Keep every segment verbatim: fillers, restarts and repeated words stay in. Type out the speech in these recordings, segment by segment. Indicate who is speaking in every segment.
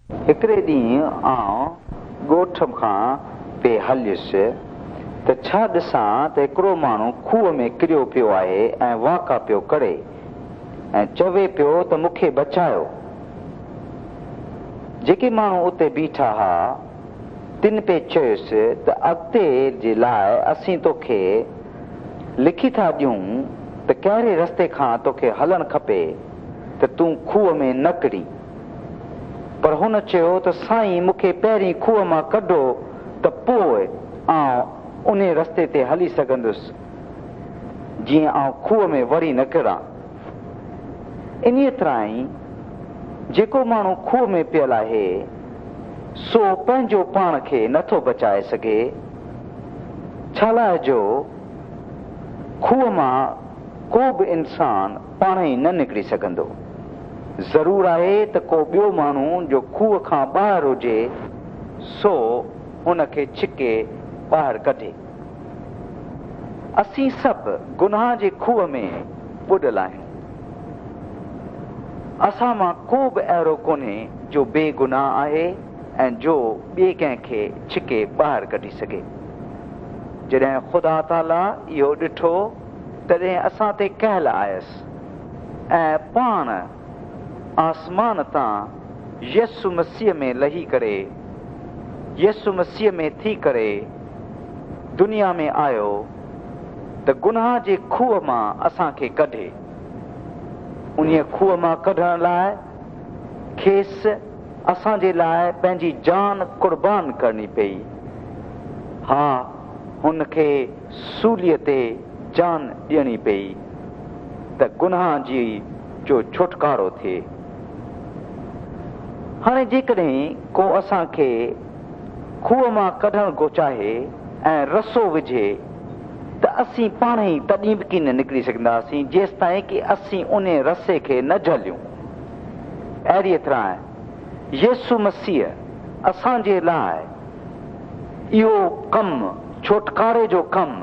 Speaker 1: هڪڙي ڏينهن آئون ڳوٺ کان پئي هليس ته ڇا ڏسان ته هڪڙو ماڻهو کوهه ۾ ڪريو پيو آهي ۽ واڪا پيو ڪري ۽ چوي پيو ته مون کي بچايو. جيڪي ماڻهو اتي بيٺا ها تن پئي چيس ته اڳتي جي لاء اسين توکي لکي ٿا ڏيون ته ڪهڙي رستي کان توکي هلڻ کپي ته تون کوهه ۾ نه ڪرين. پر هن چيو ته سائين مون کي پهرين کوهه مان ڪڍو ته پوءِ آئون ان رستي تي هلي سگهندس جيئن آئون کوهه ۾ وري نه ڪران. انهيءَ طرح ئي جيڪو ماڻهو کوهه ۾ پيل آهي سو پنهنجو پاڻ کي نٿو بچائي سگهي، ڇا لاءِ جو کوهه مان ڪو به انسان پاڻ ئي نه نڪري سگهندو. ضرور آهي ته ڪو ٻيو ماڻهو جو کوهه کان ٻاهر هجي سو هن کي ڇڪي ٻاهر ڪڍي. اسين سڀ گناهه جي کوهه ۾ ٻڏل آهيون. اسان مان ڪو به اهڙو ڪونهي جو بيگناهه آهي ۽ جو ٻئي ڪنهن کي ڇڪي ٻاهر ڪڍي سگهي. جڏهن خدا تعاليٰ اهو ڏٺو تڏهن اسان تي ڪهل آيس ۽ پاڻ آسمان تان يسوع مسيح ۾ لهي ڪري يسوع مسيح ۾ ٿي ڪري دنيا ۾ آيو ته گناهه جي کوهه مان اسان کي ڪڍي. انهيءَ کوهه مان ڪڍڻ لاءِ کيس اسان جي لاءِ پنهنجي جان قربان ڪرڻي پئي. ها، هن کي سوليءَ تي جان ڏيڻي پئي ته گناهه جي جو ڇوٽڪارو ٿئي. هاڻي جيڪڏهن ڪو اسان کي کوهه مان ڪڍڻ ڪو چاهي ۽ رسو وجهي ته اسين پاڻ ئي تڏهن به ڪين نڪري سگهنداسين جيستائين ڪه اسين ان رسي کي نه جهليون. اهڙيءَ طرح يسوع مسيح اسان جي لاءِ اهو ڪم، ڇوٽڪاري جو ڪم،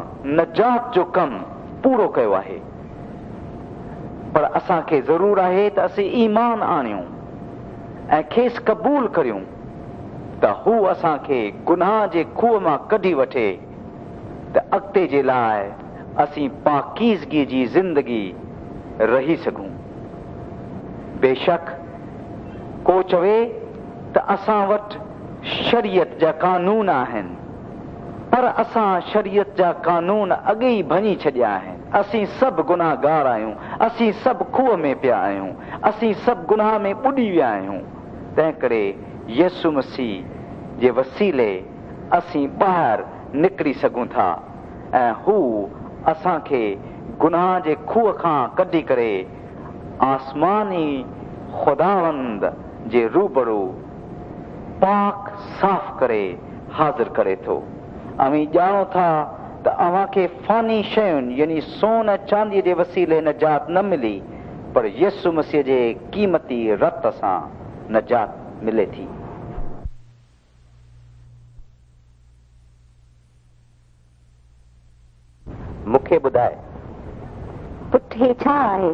Speaker 1: نجات جو ڪم پورو ڪيو آهي. پر اسان کي ضرور آهي ته اسين ايمان آڻيون ۽ کيس قبول ڪريون ته هو اسان کي گناهه جي کوهه مان ڪڍي وٺي ته اڳتي جي لاءِ اسين پاڪيزگيءَ جي زندگي رهي سگهون. بيشڪ ڪو چوي ته اسان وٽ شريعت جا قانون آهن، پر اسان شريعت جا قانون اڳي ئي ڀڃي ڇڏيا آهن. اسين سڀ گناهگار آهيون، اسين سڀ کوهه ۾ پيا آهيون، اسين سڀ گناهه ۾ ٻڏي ويا آهيون. تنهن ڪري يسوع مسيح جي وسيلي اسين ٻاهر نڪري سگهون ٿا ۽ هو اسان کي گناهه جي کوهه کان ڪڍي ڪري آسماني خداوند جي روبرو پاڪ صاف ڪري حاضر ڪري ٿو. اوهين ڄاڻو ٿا ته اوهان کي فاني شين يعني سون ۽ چانديءَ جي وسيلي نجات نه ملي، پر يسوع مسيح جي قيمتي رت سان نجات ملي ٿي. مون کي ٻڌاءِ.
Speaker 2: پٽ، هي ڇا آهي؟